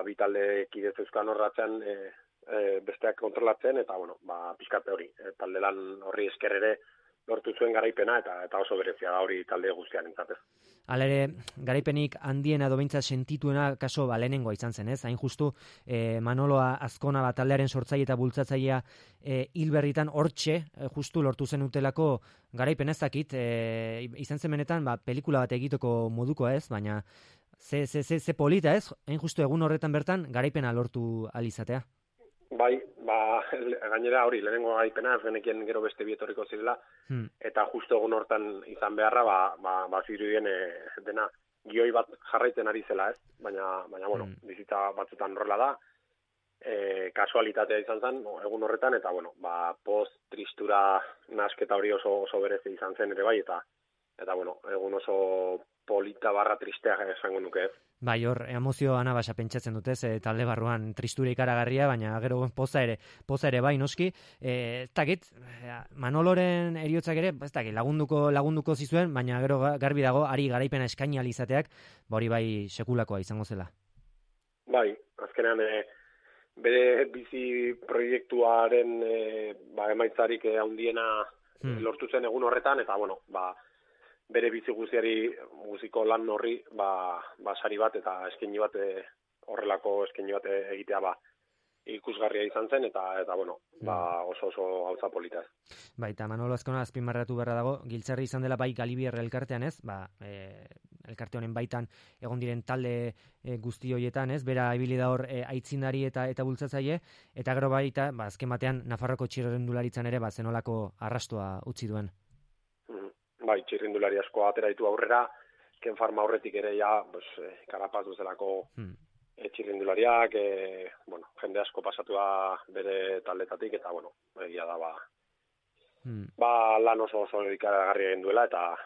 [SPEAKER 13] bi talde kidez euskan horratzean besteak kontrolatzen, eta, pixkate hori, talde lan horri esker ere lortu zuen garaipena, eta oso berezia da hori talde guztian entzatez.
[SPEAKER 2] Hala ere, garaipenik handiena dobintza sentituena kaso lehenengoa izan zen, ez? Hain justu, Manoloa Azkona taldearen sortzaile eta bultzatzailea hilberritan hortxe, justu lortu zen utelako garaipen ezakit, izan zen benetan, pelikula bat egiteko modukoa, ez? Baina, ze polita, ez? Hain justu egun horretan bertan, garaipena lortu alizatea.
[SPEAKER 13] Bai, gainera hori, lehenengo garaipena, ez genekien gero beste bietorriko zirela, eta justo egun hortan izan beharra, zirudien dena gioi bat jarraiten ari zela, ez? Baina, bizitza batzutan horrela da, kasualitatea izan zen, egun horretan, eta, post, tristura, nasketa hori oso berezi izan zen ere bai, eta egun oso polita barra tristea esango nuke, ez?
[SPEAKER 2] Bai, hor, emozio anabasa pentsatzen dutez, talde barruan tristura ikaragarria, baina gero poza ere bai, noski. Takit, Manoloren eriotzak ere, lagunduko zizuen, baina gero garbi dago, ari garaipena eskaini alizateak, hori bai sekulakoa izango zela.
[SPEAKER 13] Bai, azkenean, bere bizi proiektuaren emaitzarik handiena lortu zen egun horretan, eta, bere bizi guziko lan horri, sari bat eta eskaini bat, horrelako eskaini bat egitea, ikusgarria izan zen, eta oso gauza polita.
[SPEAKER 2] Bai, eta Manolo Azkona azpimarratu beharra dago, giltzarri izan dela bai Galibier elkartean, ez? Elkarte honen baitan egon diren talde guzti horietan, ez? Bera ibili da hor aitzindari eta bultzatzaile, eta gero baita, azken batean Nafarroko txirrindularitzan ere zenolako arrastoa utzi duen.
[SPEAKER 13] Bai, txirrindulari asko atera ditu aurrera, Ken Farma aurretik ere karapaz duzelako txirrindulariak, jende asko pasatua bere taldetatik, eta, egia da, lan oso ikaragarria egin duela, eta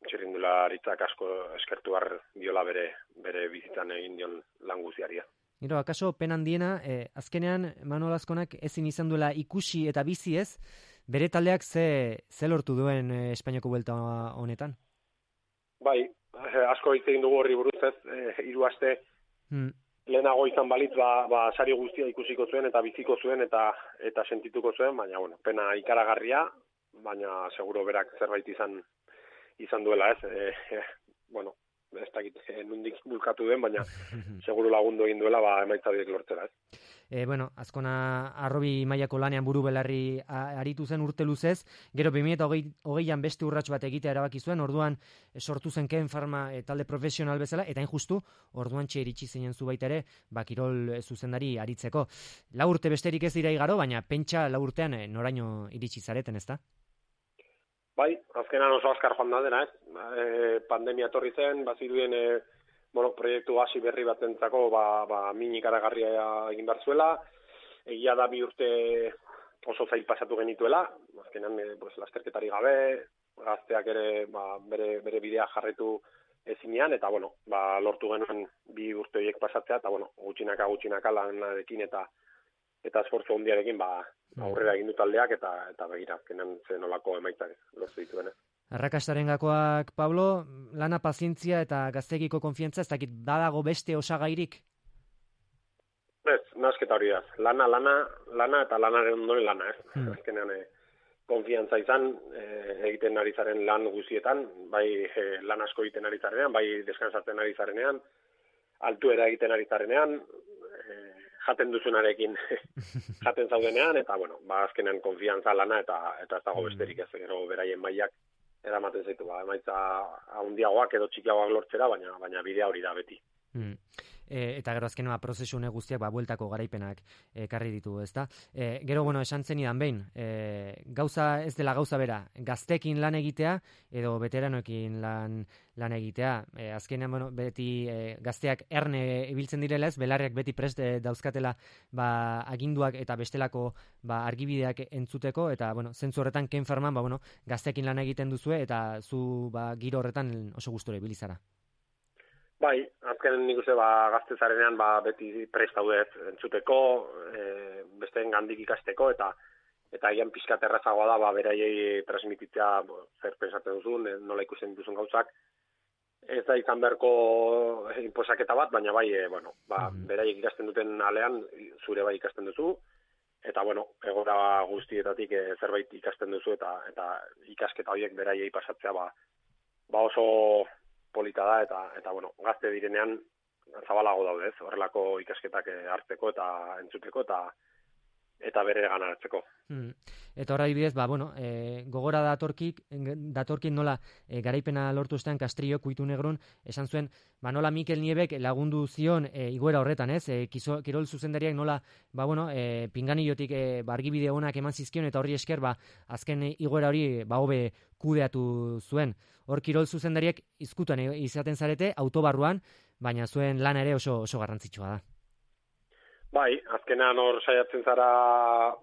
[SPEAKER 13] txirrindularitzak asko eskertu behar diola bere bizitzan egin dion lan guziaria.
[SPEAKER 2] Gero, akaso pen handiena, azkenean Manolo Azkonak ezin izan duela ikusi eta bizi ez, bere taldeak ze lortu duen Espainiako buelta honetan?
[SPEAKER 13] Bai, asko hitz egin dugu horri buruz ez, 3 aste lehenago izan balitz, sari guztia ikusiko zuen eta biziko zuen eta sentituko zuen, baina, pena ikaragarria, baina seguro berak zerbait izan duela ez, ez dakit nundik bulkatu den, baina seguro lagundu egin duela emaitza horiek lortzera, ez?
[SPEAKER 2] Azkona arrobi mailako lanean buru belarri aritu zen urte luzez, gero 2008an beste urrats bat egitea erabaki zuen, orduan sortu zen Ken Farma talde profesional bezala, eta injustu, orduan iritsi zinen zu baita ere, kirol zuzendari aritzeko. 4 urte besterik ez dira igaro, baina pentsa 4 urtean noraino iritsi zareten, ezta?
[SPEAKER 13] Bai, azkenan oso azkar joan da dena, ez? Pandemia etorri zen, bazirudien proiektu hasi berri batentzako min ikaragarria egin behar zuela. Egia da 2 urte oso zail pasatu genituela, azkenan lasterketari gabe, gazteak ere bere bidea jarraitu ezinean, eta lortu genuen 2 urte horiek pasatzea, eta gutxinaka lanarekin eta esfortzu handiarekin aurrera egin du taldeak, eta begira, azkenan zen olako emaitzak lortu dituen.
[SPEAKER 2] Arrakastaren gakoak, Pablo, lana pazientzia eta gaztegiko konfiantza, ez dakit badago beste osagairik?
[SPEAKER 13] Ez, nasketa hori da. Lana eta lanaren ondoren lana, ez. Azkenean, konfiantza izan, egiten ari zaren lan guzietan, bai lan asko egiten ari zarenean, bai deskansatzen ari zarenean, altuera egiten ari zarenean, jaten duzunarekin jaten zaudenean, eta azkenean konfiantza lana eta ez dago besterik ez, gero beraien mailak eramaten zaitu, emaitza handiagoak edo txikiagoak lortzera, baina bidea hori da beti.
[SPEAKER 2] Eta gero azkenua prozesu guztiak bueltako garaipenak ekarri ditu, ezta? Gero, esan zenidan behin, gauza ez dela gauza bera, gaztekin lan egitea edo veteranoekin lan egitea. Azkenean, beti gazteak erne ibiltzen direla ez, belarriak beti prest dauzkatela aginduak eta bestelako argibideak entzuteko, eta zentzu horretan Ken Farman gazteekin lan egiten duzue, eta zu giro horretan oso gustura ibili zara.
[SPEAKER 13] Bai, azkenen nik uste gazte zarenean beti prest daude entzuteko, besteen gandik ikasteko, eta gian pixkat errazagoa da beraiei transmititzea zer pensatzen duzun, nola ikusten dituzun gauzak. Ez da izan beharko inposaketa bat, baina beraiek ikasten duten alean zure bai ikasten duzu, eta egora guztietatik zerbait ikasten duzu, eta ikasketa horiek beraiei pasatzea oso polita da, eta gazte direnean zabalago daude, horrelako ikasketak hartzeko eta entzuteko eta bere ganaratzeko.
[SPEAKER 2] Eta horra adibidez, gogora datorkin nola garaipena lortu estean Castrillo Kuitu Negrun, esan zuen, nola Mikel Niebek lagundu zion igoera horretan, kirol zuzendariak nola, pinganillotik argibide onak eman zizkion, eta horri esker, azken igoera hori hobe kudeatu zuen. Hor kirol zuzendariak izkutuan izaten zarete, autobarruan, baina zuen lan ere oso garrantzitsua da.
[SPEAKER 13] Bai, azkenean hor saiatzen zara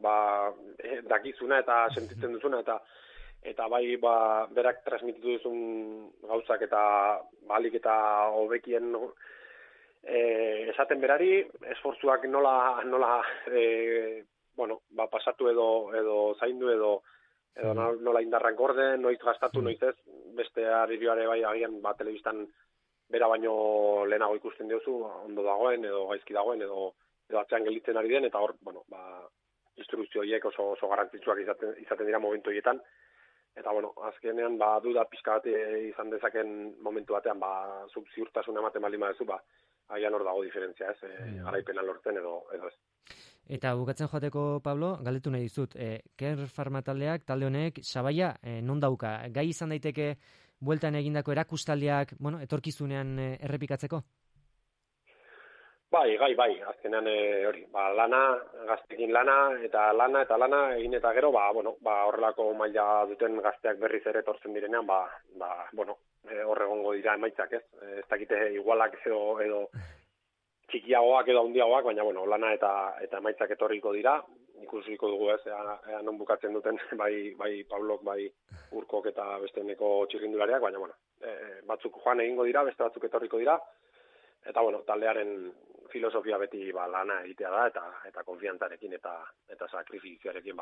[SPEAKER 13] dakizuna eta sentitzen duzuna, eta berak transmititu duzun gauzak eta balik eta hobekien esaten berari, esfortzuak nola pasatu edo zaindu edo nola indarrak gorde, noiz gastatu, noiz ez, beste arririoare agian telebistan bera baino lehenago ikusten diozu, ondo dagoen edo gaizki dagoen edo atzean gelditzen ari den, eta hor, instrukzio horiek oso garrantzitsuak izaten dira momentu horietan, eta azkenean duda pixka bat izan dezaken momentu batean, zuk ziurtasuna ematen baldin badezu, agian hor dago diferentzia, ez, garaipena lortzen edo ez.
[SPEAKER 2] Eta bukatzen joateko, Pablo, galdetu nahi dizut, Ken Farma taldeak, talde honek, sabaia non dauka? Gai izan daiteke bueltan egindako erakustaldiak, etorkizunean errepikatzeko?
[SPEAKER 13] Bai, azkenean hori, lana, gaztekin lana egin eta gero, horrelako maila duten gazteak berriz ere etortzen direnean, hor egongo dira emaitzak, ez? Ez dakite igualak edo txikiagoak edo handiagoak, baina lana eta emaitzak etorriko dira, ikusiko dugu ez, non bukatzen duten, bai Pablok, bai Urkok eta besteneko txirrindulariak, baina batzuk joan egingo dira, beste batzuk etorriko dira, eta taldearen filosofia beti lana egitea da, eta konfiantzarekin eta sakrifizioarekin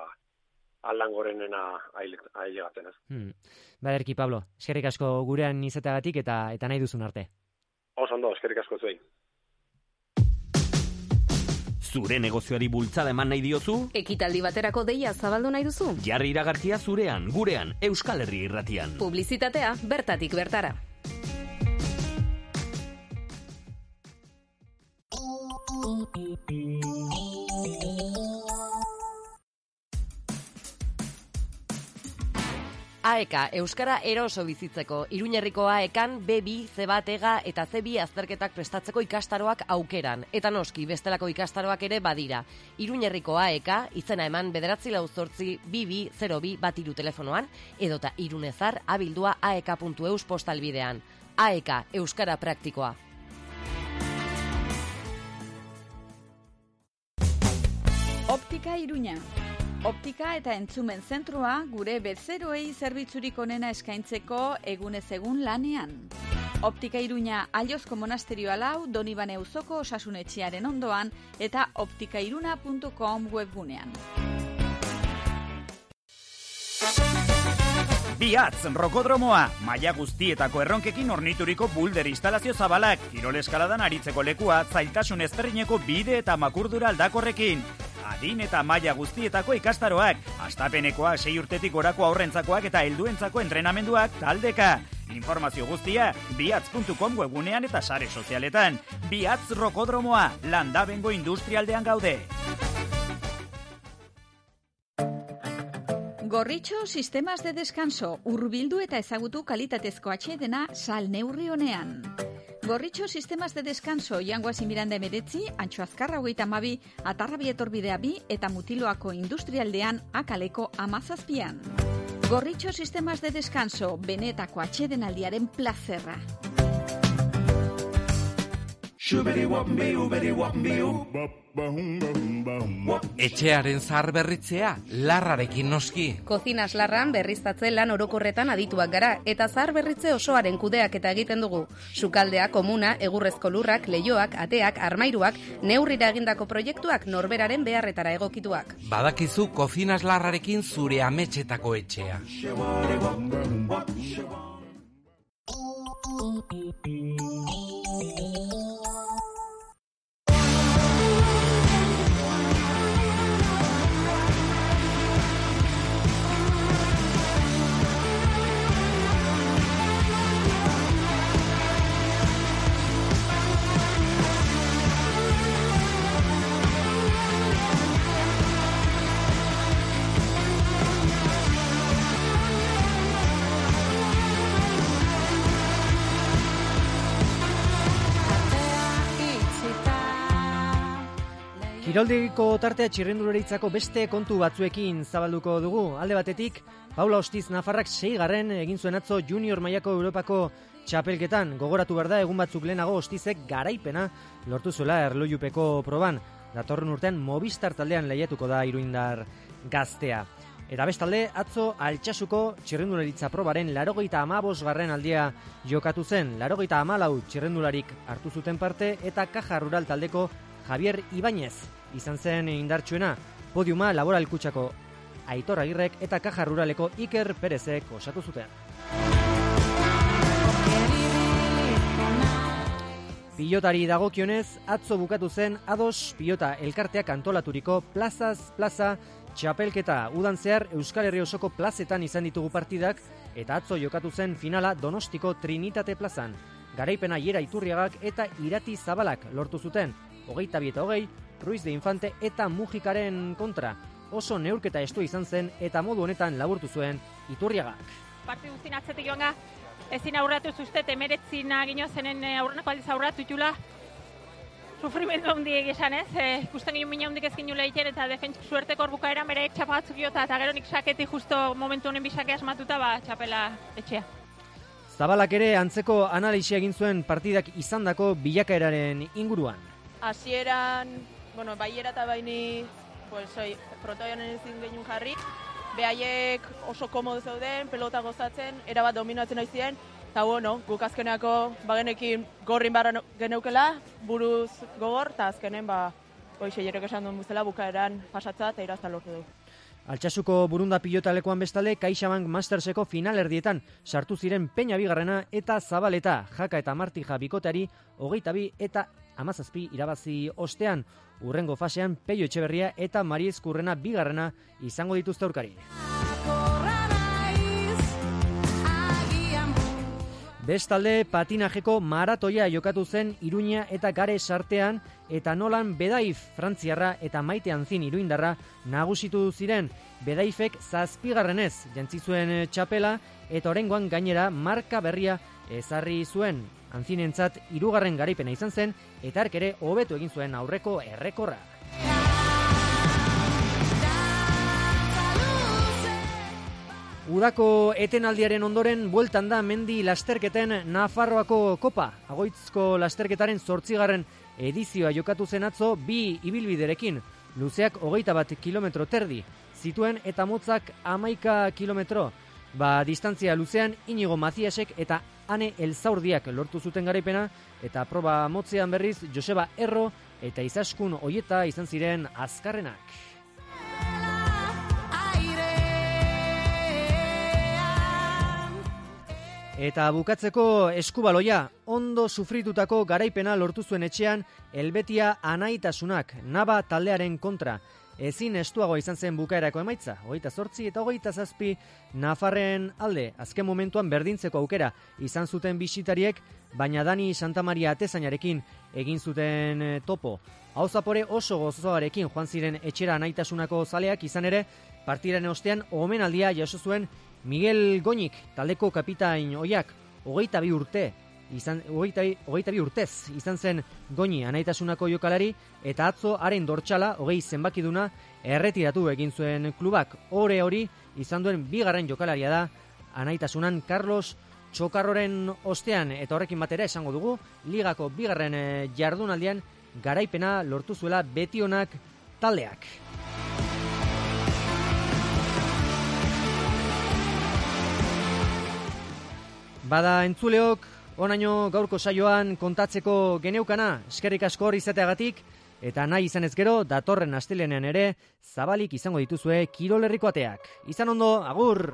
[SPEAKER 13] aldan gorenena ailegatzen ez.
[SPEAKER 2] Baderki, Pablo, eskerrik asko gurean izateagatik eta nahi duzun arte.
[SPEAKER 13] Oso ondo, eskerrik asko zuei.
[SPEAKER 1] Zure negozioari bultzada eman nahi diozu?
[SPEAKER 3] Ekitaldi baterako deia zabaldu nahi duzu?
[SPEAKER 1] Jarri iragarkia zurean, gurean, Euskal Herri Irratian.
[SPEAKER 3] Publizitatea bertatik bertara.
[SPEAKER 11] AEK, Euskara eroso bizitzeko. Iruñerriko AEKan B2, C1, EGA eta C2 azterketak prestatzeko ikastaroak aukeran. Eta noski, bestelako ikastaroak ere badira. Iruñerriko AEK, izena eman 9482202 telefonoan, edota irunezar abildua aek.eus postalbidean. AEK, Euskara praktikoa.
[SPEAKER 14] Optika Iruña. Optika eta entzumen zentrua gure bezeroei zerbitzurik onena eskaintzeko egunez egun lanean. Optika Iruña Allozko Monasterio 4, Donibane auzoko osasunetxearen ondoan eta optikairuna.com webgunean.
[SPEAKER 15] Biatz Rokodromoa, maila guztietako erronkekin ornituriko bulder instalazio zabalak, kirol eskaladan aritzeko lekua, zailtasun ezberdineko bide eta makurdura aldakorrekin. Adin eta maila guztietako ikastaroak, astapenekoa 6 urtetik gorako aurrentzakoak eta helduentzako entrenamenduak taldeka. Informazio guztia biatz.com webgunean eta sare sozialetan. Biatz Rokodromoa, Landabengo industrialdean gaude.
[SPEAKER 14] Gorritxo Sistemas de Descanso, hurbildu eta ezagutu kalitatezko atsedena sal neurri honean. Gorritxo Sistemas de Descanso, Jangoaz Miranda 19, Antxo Azkarra 32, Atarrabi Etorbidea 2 eta Mutiloako industrialdean Akaleko 17. Gorritxo Sistemas de Descanso, benetako atsedenaldiaren plazerra.
[SPEAKER 10] Etxearen zahar berritzea, larrarekin noski.
[SPEAKER 3] Kozinas Larran berriztatze lan orokorretan adituak gara, eta zahar berritze osoaren kudeaketa egiten dugu. Sukaldea, komuna, egurrezko lurrak, leihoak, ateak, armairuak, neurrira egindako proiektuak norberaren beharretara egokituak.
[SPEAKER 10] Badakizu Kozinas Larrarekin zure ametxetako etxea.
[SPEAKER 2] Kiroldegiko tartea txirrendularitzako beste kontu batzuekin zabalduko dugu. Alde batetik, Paula Ostiz Nafarrak 6. egin zuen atzo junior mailako Europako txapelketan. Gogoratu behar da, egun batzuk lehenago Ostizek garaipena lortu zuela erlojupeko proban. Datorren urtean Movistar taldean lehiatuko da iruindar gaztea. Eta bestalde, atzo Altsasuko txirrendularitza probaren 85. aldia jokatu zen. 84 txirrendularik hartu zuten parte eta Caja Rural taldeko Javier Ibáñez izan zen indartsuena. Podiuma Laboral Kutxako Aitor Agirrek eta Caja Ruraleko Iker Perezek osatu zuten. Pilotari dagokionez, atzo bukatu zen A2 pilota elkarteak antolaturiko plazaz plaza txapelketa. Udan zehar Euskal Herri osoko plazetan izan ditugu partidak eta atzo jokatu zen finala Donostiko Trinitate plazan. Garaipena Iera Iturriagak eta Irati Zabalak lortu zuten. 22-20, Ruiz de Infante eta Mujikaren kontra. Oso neurketa estua izan zen eta modu honetan laburtu zuen Iturriagak.
[SPEAKER 16] Partidu zin atzetik joan ezin aurratu zuztet, 19 gino zenen aurrenako aldiz aurratu itula. Sufrimendu handiek esan ez, ikusten gino mina handik ezkin nula egiten eta defentsa suerteko orbukaeran bere txapa batzuk jota eta gero nik saketi justo momentu honen bisake asmatuta txapela etxea.
[SPEAKER 2] Zabalak ere antzeko analisia egin zuen partidak izandako bilakaeraren inguruan.
[SPEAKER 17] Hasieran, baiera eta baini, frontoian ezin genuen jarri, behaiek oso komodo zeuden, pelota gozatzen, erabat dominatzen aizien, eta guk azkeneako bagenekin gorrin barra geneukela, buruz gogor, eta azkenen, jerek esan duen buzela, bukaeran pasatza eta irazta lortu du.
[SPEAKER 2] Altsasuko Burunda pilotalekoan bestalde, CaixaBank Masterseko finalerdietan sartu ziren Peña bigarrena eta Zabaleta, Jaka eta Martija bikoteari 22 eta 17 irabazi ostean. Urrengo fasean Peio Etxeberria eta Mariez Kurrena bigarrena izango dituzte aurkari. Bestalde, patinajeko maratoia jokatu zen Iruña eta Gare sartean eta Nolan Bedaif Frantziarra eta Maite Anzin iruindarra nagusitu ziren. Bedaifek 7. jantzi zuen txapela eta oraingoan gainera marka berria ezarri zuen. Anzinentzat 3. garaipena izan zen eta hark ere hobetu egin zuen aurreko errekorra. Udako etenaldiaren ondoren bueltan da mendi lasterketen Nafarroako kopa. Agoitzko lasterketaren 8. edizioa jokatu zen atzo 2 ibilbiderekin. Luzeak 21 kilometro terdi. zituen eta motzak 11 kilometro. Distantzia luzean Inigo Maziasek eta Ane Elzaurdiak lortu zuten garaipena, eta proba motzean berriz Joseba Erro eta Izaskun Oieta izan ziren azkarrenak. Eta bukatzeko eskubaloia, ondo sufritutako garaipena lortu zuen etxean Helbetia Anaitasunak, Naba taldearen kontra. Ezin estuagoa izan zen bukaerako emaitza, 28 eta 27 Nafarren alde, azken momentuan berdintzeko aukera izan zuten bisitariek, baina Dani Santamaria atezainarekin egin zuten topo. Hau zapore oso gozoarekin joan ziren etxera Anaitasunako zaleak, izan ere, partidaren ostean omenaldia jaso zuen Miguel Goñik, taldeko kapitain oiak, 22 urtez izan zen Goñi Anaitasunako jokalari, eta atzo haren dortxala 20 zenbakiduna erretiratu egin zuen klubak. Ore hori izan duen bigarren jokalaria da Anaitasunan Carlos Txokarroren ostean, eta horrekin batera esango dugu ligako bigarren jardunaldian garaipena lortu zuela Betionak taldeak. Bada entzuleok, onaino gaurko saioan kontatzeko geneukana, eskerrik asko hor izateagatik, eta nahi izan ez gero, datorren astelenean ere, zabalik izango dituzue Kirol Herriko ateak. Izan ondo, agur!